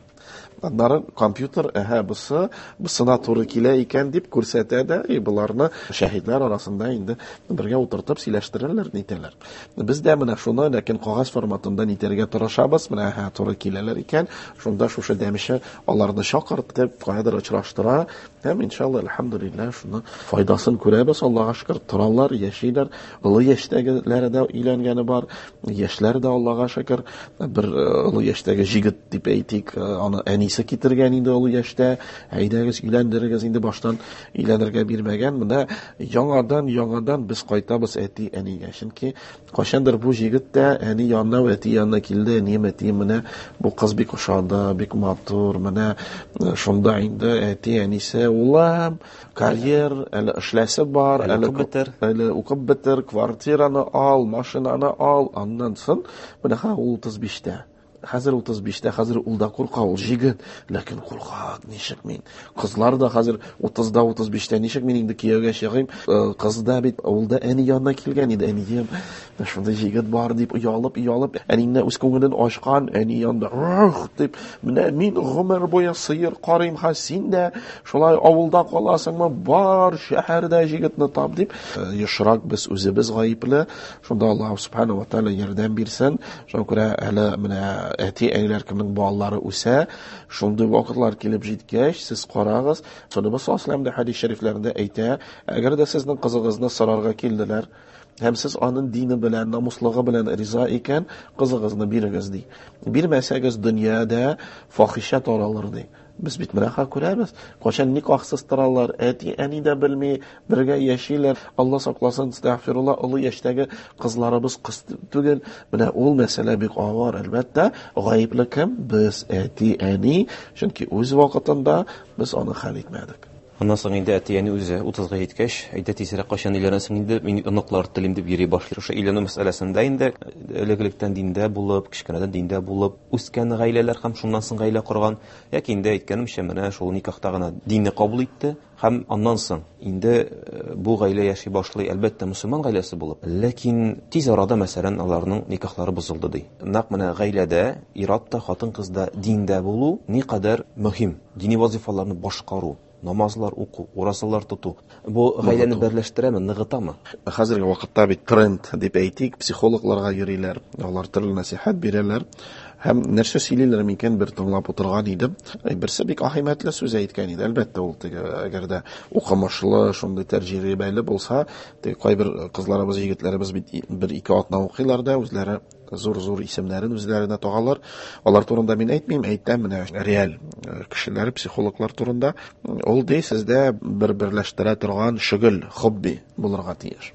Аннары компьютер, әһә, бусы, бусына туры килә икән дип күрсәтә дә, и боларны шәһидләр арасында инде бергә утыртып сөйләштерәләр, нитәләр. Без дә менә шуны, ләкин кагаз форматында нитәргә тырышабыз, менә әһә, туры киләләр икән, шунда шушы дәмеше аларны чакыртып, каядыр очраштыра, һәм иншалла, әлхәмдүлилләһ, шуны файдасын күрәбез, Аллаһка шөкер, торалар, яшиләр, олы яшьтәгеләре дә өйләнгәне бар, яшьләр дә Аллаһка шөкер, бер олы яшьтәге җегет дип әйтик, аны әнисе китергән инде олы яшьтә, әйдәгез, өйләндерегез, инде баштан өйләнергә бирмәгән. Менә яңадан без кайтабыз әти-әнигә, чөнки кайчандыр бу җегет тә әни янына, әти янына килде, әнием, әтием, менә бу кыз бик ошады, бик матур, менә шунда инде әти-әнисе, улым, карьер, әле эшләсе бар, Әле укып бетер. әле укып бетер, квартираны ал, машинаны ал, аннан соң менә ха ул 35-тә. Хәзер 35-тә, хәзер ул да курка, ул җегет, ләкин курка, ничек мин? Кызлар да хәзер 30-да, 35-тә, ничек мин инде кияүгә чыгыйм? Кыз да бит ул да әни янына килгән иде, әнием, шундый җегет бар дип оялып, оялып, әнине үз күңелен ачкан, әни янында, Ух, дип, менә мин гомер буе сыер карыйм, ха син дә шулай авылда каласыңмы? Бар, шәһәрдә җегетне тап дип. Ешрак без үзебез гаепле. Шунда Аллаһ субхана ва тааля ярдәм бирсен. Шуңа күрә әле менә Әти-әниләр кемнең балалары үсә, шундый вакытлар килеп җиткәч, сез карагыз, Расулыбыз саллаллаһу алейһи ва хәдис шәрифләрендә әйтә, әгәр дә сезнең кызыгызны сорарга килделәр, һәм сез аның дине белән, намуслыгы белән риза икән, кызыгызны бирегез ди. Бирмәсәгез, дөньяда фахишә таралыр ди. Без бит менә күрәбез, кайчан никахсыз торалар, әти-әни дә белми, бергә яшиләр. Алла сакласын, астагфирулла, олы яшьтәге кызларыбыз кыз түгел. Менә ул мәсьәлә бик авыр, әлбәттә. Гаепле кем? Без, әти-әни, чөнки үз вакытында без аны хәл итмәдек. Аннан соң инде әти-әни үзе 30-га җиткәч, әйдә тизрәк кайчан өйләнәсең инде, мин оныклар телим дип йөри башлый. Шушы өйләнү мәсьәләсендә инде элек-электән диндә булып, кечкенәдән диндә булып үскән гаиләләр һәм шуннан соң гаилә корган, яки инде әйткәнемчә, менә шул никахта гына динне кабул итте һәм аннан соң инде бу гаилә яши башлый, әлбәттә, мөселман гаиләсе булып, ләкин тиз арада, мәсәлән, аларның никахлары бозылды ди. Нәкъ менә гаиләдә ир-ат та, хатын-кыз да диндә булу никадәр мөһим, дини вазифаларны башкару, намазлар уку, уразалар тоту. Бу гаиләне берләштерәме, ныгытамы? Хәзерге вакытта бит тренд дип әйтик, психологларга йөриләр, алар төрле нәсыйхәт бирәләр. Һәм нәрсә сөйлиләр микән, бер тыңлап утырган идем. Берсе бик әһәмиятле сүз әйткән иде. Әлбәттә, ул теге, әгәр дә укымышлы, шундый тәҗрибәле булса, теге кайбер кызларыбыз, егетләребез бит бер-ике атна укыйлар да, үзләре зур-зур исемнәрен үзләренә тагалар. Алар турында мин әйтмим, әйтәм менә реаль кешеләр, психологлар турында. Ул ди, сездә бер берләштерә торган шөгыль, хобби булырга тиеш.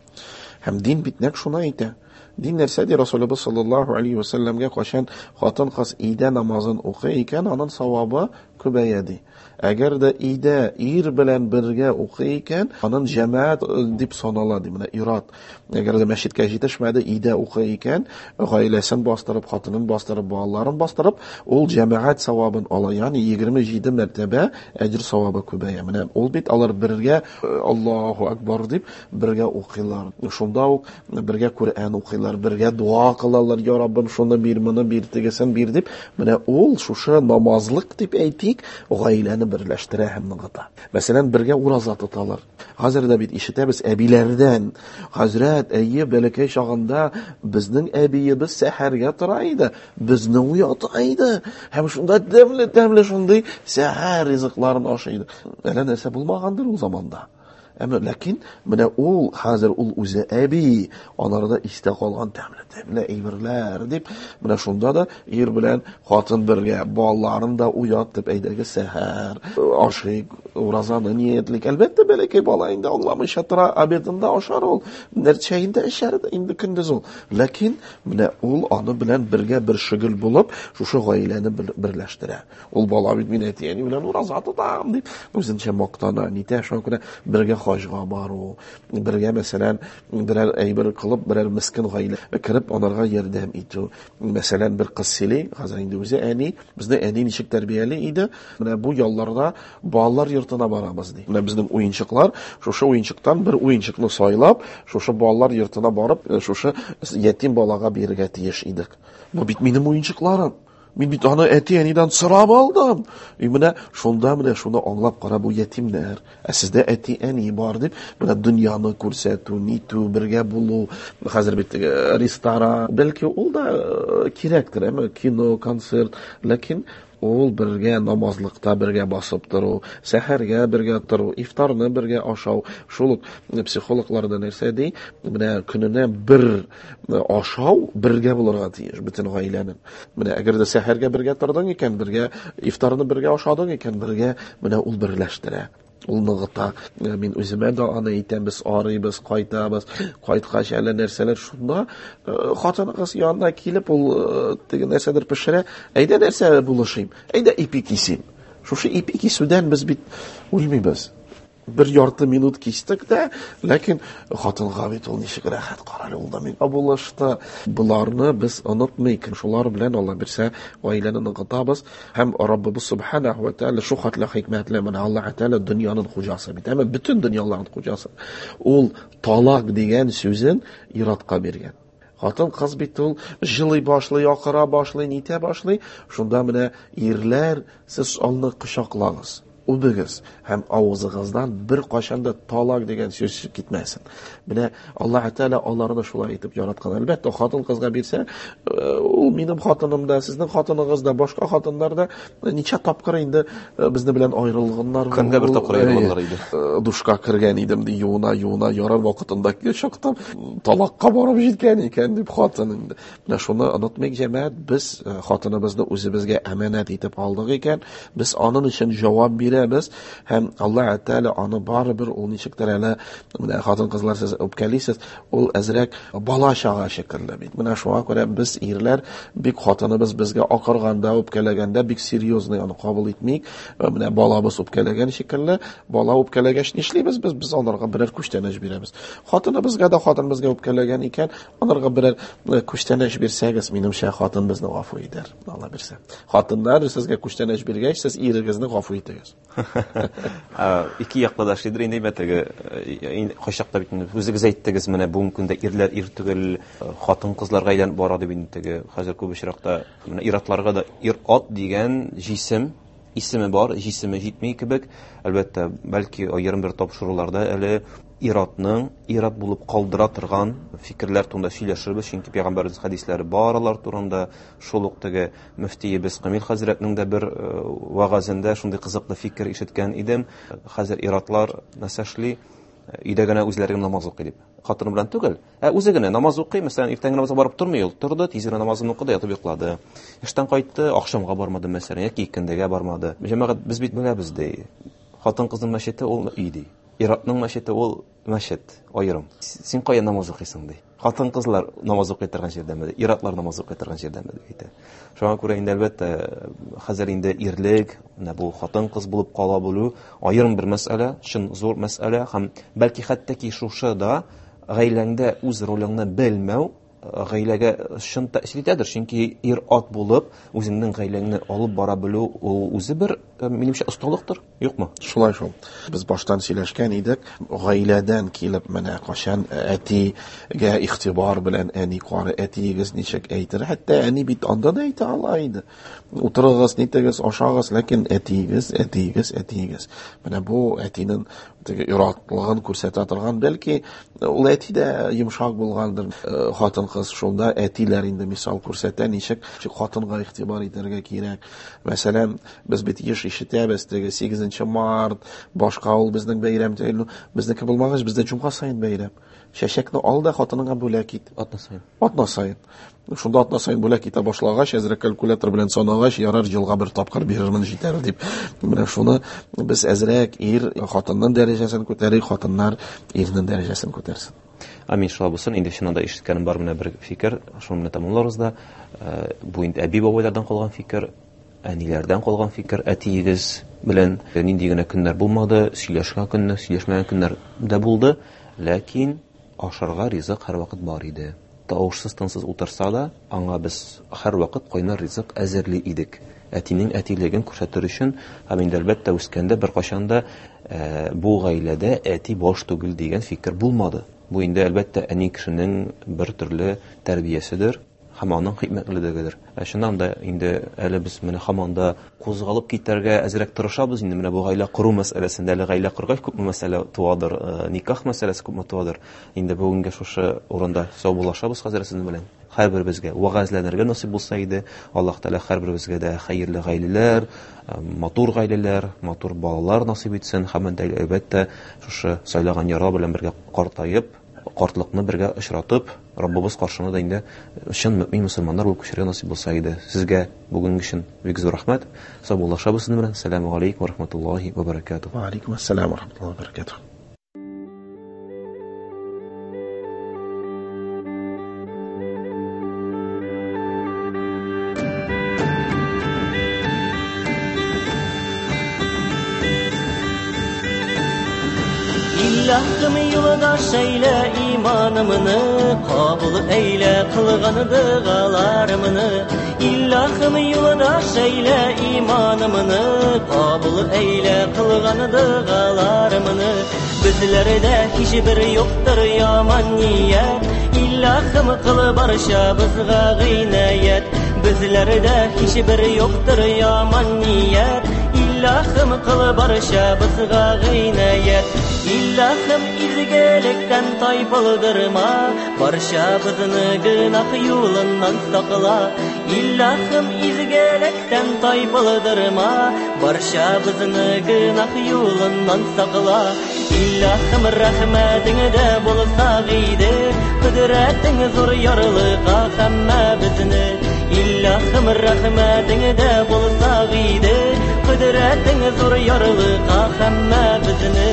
Һәм дин бит нәкъ шуны әйтә. Дин нәрсә ди? Расулыбыз саллаллаһу алейһи ва сәлләмгә кайчан хатын-кыз өйдә намазын укый икән, аның савабы күбәя ди. Әгәр дә өйдә ир белән бергә укый икән, аның җәмәгать дип санала ди. Менә ир-ат әгәр дә мәчеткә җитешмәде, өйдә укый икән, гаиләсен бастырып, хатынын бастырып, балаларын бастырып, ул җәмәгать савабын ала. Ягъни 27 мәртәбә әҗер савабы күбәя. Менә ул бит алар бергә Аллаһу акбар дип бергә укыйлар. Шунда ук бергә Коръән укыйлар, бергә дуа кылалар, я Раббым, шуны бир, моны бир, тегесен бир дип. Менә ул шушы намазлык дип әйтик, гаиләне берләштерә һәм ныгыта. Мәсәлән, бергә ураза тоталар. Хәзер дә бит ишетәбез әбиләрдән. Хәзрәт, әйе, бәләкәй чагында безнең әбиебез сәхәргә тора иде, безне уята иде. Һәм шунда тәмле-тәмле шундый сәхәр ризыкларын ашый иде. Әллә нәрсә булмагандыр ул заманда. Әмма ләкин менә ул хәзер ул үзе әби, аларда истә калган тәмле-тәмле әйберләр дип, менә шунда да ир белән хатын бергә балаларын да уятып, әйдәгез сәхәр ашыйк, уразаны ниятлик. Әлбәттә, бәләкәй бала инде аңламыйча тора, обедында ашар ул, чәен дә эчәр инде көндез ул. Ләкин менә ул аны белән бергә бер шөгыль булып, шушы гаиләне берләштерә. Ул бала бит мин әти-әни белән ураза тотам дип үзенчә мактана, нитә, шуңа күрә бергә хаҗга бару, бергә, мәсәлән, берәр әйбер кылып, берәр мескен гаилә кереп, аларга ярдәм итү. Мәсәлән, бер кыз сөйли, хәзер инде үзе әни, безне әни ничек тәрбияли иде, менә бу ялларда балалар йортына барабыз ди. Менә безнең уенчыклар, шушы уенчыктан бер уенчыкны сайлап, шушы балалар йортына барып, шушы ятим балага бирергә тиеш идек. Бу бит минем уенчыкларым. Мин бит аны әти-әнидән сорап алдым. И менә шунда менә шуны аңлап кара, бу ятимнәр. Ә сездә әти-әни бар дип, менә дөньяны күрсәтү, нитү, бергә булу. Хәзер бит ресторан, бәлки ул да кирәктер, әмма кино, концерт, ләкин ул бергә намазлыкта бергә басып тору, сәхәргә бергә тору, ифтарны бергә ашау. Шул ук психологлар да нәрсә ди? Менә көненә бер ашау бергә булырга тиеш бөтен гаиләнең. Менә әгәр дә сәхәргә бергә тордың икән, бергә ифтарны бергә ашадың икән, бергә менә ул берләштерә. Ул ныгыта. Мин үземә дә аны әйтәм, без арыйбыз, кайтабыз. Кайткач әле нәрсәләр шунда, хатыныгыз янына килеп, ул теге нәрсәдер пешерә. Әйдә нәрсә булышыйм? Әйдә ипи кисим. Шушы ипи кисүдән без бит үлмибез. Бер ярты минут кистек тә, ләкин хатынга бит ул ничек рәхәт, карале, ул да миңа булышты. Боларны без онытмыйк. Шулар белән Алла бирсә, гаиләне ныгытабыз. Һәм Раббыбыз субханаху ва тааля шу хәтле хикмәтле, менә Аллаһ Тааля дөньяның хуҗасы бит, әмма бөтен дөньяларның хуҗасы. Ул талак дигән сүзен ир-атка биргән. Хатын кыз бит ул җылый башлый, акыра башлый, нитә башлый. Шунда менә ирләр, сез аны кочаклагыз. Үбегез һәм авызыгыздан бер кашан да талак дигән сүз китмәсен. Менә Аллаһ Тәгалә аларны шулай итеп яраткан. Әлбәттә, хатын-кызга бирсә, ул минем хатыным да, сезнең хатыныгыз да, башка хатыннар да ничә тапкыр инде безне белән аерылганнар. Көнгә бер тапкыр аерылганнар иде. Душка кергән идем ди, юына-юына ярар вакытында чыктым, талакка барып җиткән икән дип хатын инде. Менә шуны онытмыйк, җәмәгать, без хатыныбызны үзебезгә әманәт итеп алдык икән, без аның өчен җавап бирәбез һәм Аллаһ Тәгалә аны барыбер ул ничектер әле, менә хатын-кызлар сез үпкәлисез, ул әзрәк бала-чага шикелле бит. Менә шуңа күрә без ирләр бик хатыныбыз безгә акырганда, үпкәләгәндә бик серьезный аны кабул итмик. Менә балабыз үпкәләгән шикелле, бала үпкәләгәч нишлибез без? Без анарга берәр күчтәнәч бирәбез. Хатыныбызга да хатын безгә үпкәләгән икән, анарга берәр күчтәнәч бирсәгез, минемчә хатын безне гафу итәр. Алла бирсә. Хатыннар сезгә күчтәнәч биргәч, сез ирегезне гафу итегез. Ике яклы да эшлидер инде, әйбәт, теге, кайчакта бит инде үзегез әйттегез, менә бүгенге көндә ирләр ир түгел, хатын-кызларга әйләнеп бара дип инде теге хәзер күп очракта менә ир-атларга да ир-ат дигән җисем исеме бар, җисеме җитми кебек. Әлбәттә, бәлки аерым бер тапшыруларда әле ир-атның ир-ат булып калдыра торган фикерләр турында сөйләшербез, чөнки пәйгамбәребез хәдисләре бар алар турында. Шул ук теге мөфтиебез Камил хәзрәтнең дә бер вәгазендә шундый кызыклы фикер ишеткән идем. Хәзер ир-атлар нәрсә эшли? Өйдә генә үзләре генә намаз укый дип. Хатыны белән түгел, ә үзе генә намаз укый. Мәсәлән, иртәнге намазга барып тормый, ул торды, тиз генә намазын укыды, ятып йоклады. Эштән кайтты, ахшамга бармады, мәсәлән, яки икендегә бармады. Җәмәгать, без бит беләбез, ди. Хатын-кызның мәчете ул өй, ди. Ир-атның мәчете ул мәчет, аерым. Син кая намаз укыйсың, ди. Хатын-кызлар намаз укый торган җирдәме, ди? Ир-атлар намаз укый торган җирдәме, дип әйтә. Шуңа күрә инде, әлбәттә, хәзер инде ирлек, менә бу хатын-кыз булып кала белү аерым бер мәсьәлә, чын зур мәсьәлә һәм бәлки хәтта ки шушы да гаиләңдә үз ролеңне белмәү гаиләгә чын тәэсир итәдер, чөнки ир-ат булып үзеңнең гаиләңне алып бара белү ул үзе бер, минемчә, осталыктыр, юкмы? Шулай шул. Без баштан сөйләшкән идек, гаиләдән килеп менә кашан әтигә игътибар белән әни кары, әтиегез ничек әйтер, хәтта әни бит анда да әйтә ала иде. Утырыгыз, нитегез, ашагыз, ләкин әтиегез, әтиегез, әтиегез. Менә бу әтинең теге иратлыгын күрсәтә торган, бәлки ул әти дә йомшак булгандыр. Хатын-кыз шунда әтиләр инде мисал күрсәтә, ничек хатынга игътибар итәргә кирәк. Мәсәлән, без бит еш ишетәбез, теге 8 март, башка ул безнең бәйрәм, безнеке булмагач, бездә җомга саен бәйрәм. Чәчәкне ал да хатыныңа бүләк ит. Атна саен. Атна саен. Шунда атна саен бүләк итә башлагач, әзрәк калькулятор белән санагач, ярар, елга бер тапкыр бирермен җитәр дип. Менә шуны без әзрәк ир хатынның дәрәҗәсен күтәрик, хатыннар ирнең дәрәҗәсен күтәрсен. Амин, шулай булсын. Инде чыннан да ишеткәнем бар менә бер фикер, шуны менә тәмамларбыз да. Бу инде әби-бабайлардан калган фикер, әниләрдән калган фикер, әтиегез белән нинди генә көннәр булмады, сөйләшкән көннәр, сөйләшмәгән көннәр дә булды, ләкин ашарга ризык һәрвакыт бар иде. Тавышсыз, тынсыз утырса да, аңа без һәрвакыт кайнар ризык әзерли идек. Әтинең әтилеген күрсәтер өчен, һәм инде әлбәттә үскәндә беркайчан да бу гаиләдә әти баш түгел дигән фикер булмады. Бу инде әлбәттә әни кешенең бер төрле тәрбияседер һәм аның хикмәтлелегедер. Ә чыннан да инде әле без менә һаман да кузгалып китәргә әзрәк тырышабыз инде менә бу гаилә кору мәсьәләсендә, әле гаилә коргач күпме мәсьәлә туадыр, никах мәсьәләсе күпме туадыр. Инде бүгенге шушы урында саубуллашабыз хәзер сезнең белән. Һәрберебезгә вәгазьләнергә насыйп булса иде. Аллаһ Тәгалә һәрберебезгә дә хәерле гаиләләр, матур гаиләләр, матур балалар насыйп итсен. Һәм инде әлбәттә шушы сайлаган ярлар белән бергә картаеп, картлыкны бергә очратып, Раббыбыз каршына да инде чын мөмин мөселманнар булып күчәргә насыйп булса иде. Сезгә бүгенге өчен бик зур рәхмәт. Саубуллашабыз сезнең белән. Ассаламу алейкум ва рахматуллахи ва баракатух. Ва алейкум ассалам ва рахматуллахи ва баракатух. Илаһым юлдаш әйлә иманымны, кабул әйлә кылган догаларымны. Илаһым юлдаш әйлә иманымны, кабул әйлә кылган догаларымны. Безләрдә һичбер юктыр яман ният, Илаһым кыл барчабызга гыйнаят. Безләрдә һичбер юктыр яман ният, Иллахым кыл барчабызга гыйнаят. Иллахым изгелектән тайпылдырма, барчабызны гөнаһ юлыннан сакла. Иллахым изгелектән тайпылдырма, барчабызны гөнаһ юлыннан сакла. Иллахым рәхмәтеңдә булсак иде, кодрәтең зур ярлыка һәммәбезне. Иллахым рәхмәтеңдә булсак иде, кодрәтең зур ярлыка һәммәбезне.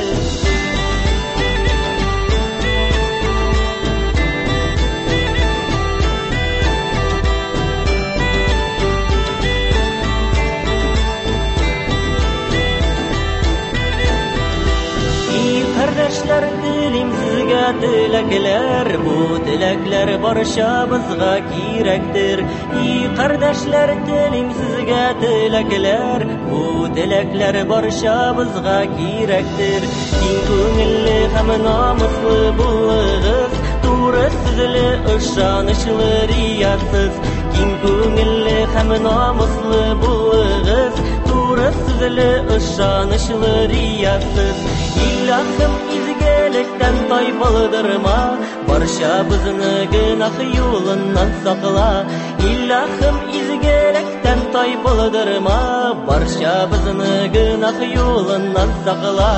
Кардәшләр, телим сезгә теләкләр, бу теләкләр барчабызга кирәктер. И кардәшләр, телим сезгә теләкләр, бу теләкләр барчабызга кирәктер. Киң күңелле һәм намуслы булыгыз, туры сүзле, ышанычлы, риясыз. Киң күңелле һәм намуслы булыгыз, туры сүзле, ышанычлы, риясыз. Иллахым изгелектән тайпылдырма, барчабызны гөнаһ юлыннан сакла. Иллахым изгелектән тайпылдырма, барчабызны гөнаһ юлыннан сакла.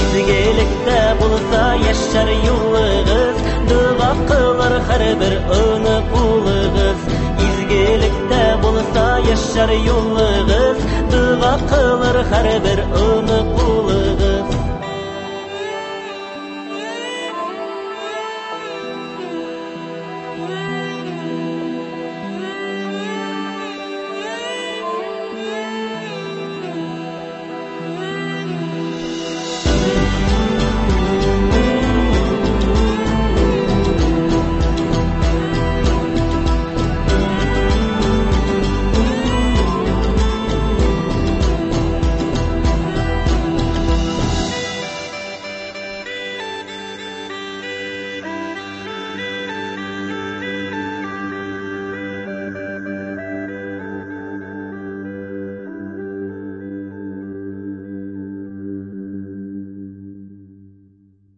Изгелектә булса яшәр юлыгыз, дога кылыр һәрбер аны кулыгыз. Изгелектә булса яшәр юлыгыз, дога кылыр һәрбер аны кулыгыз.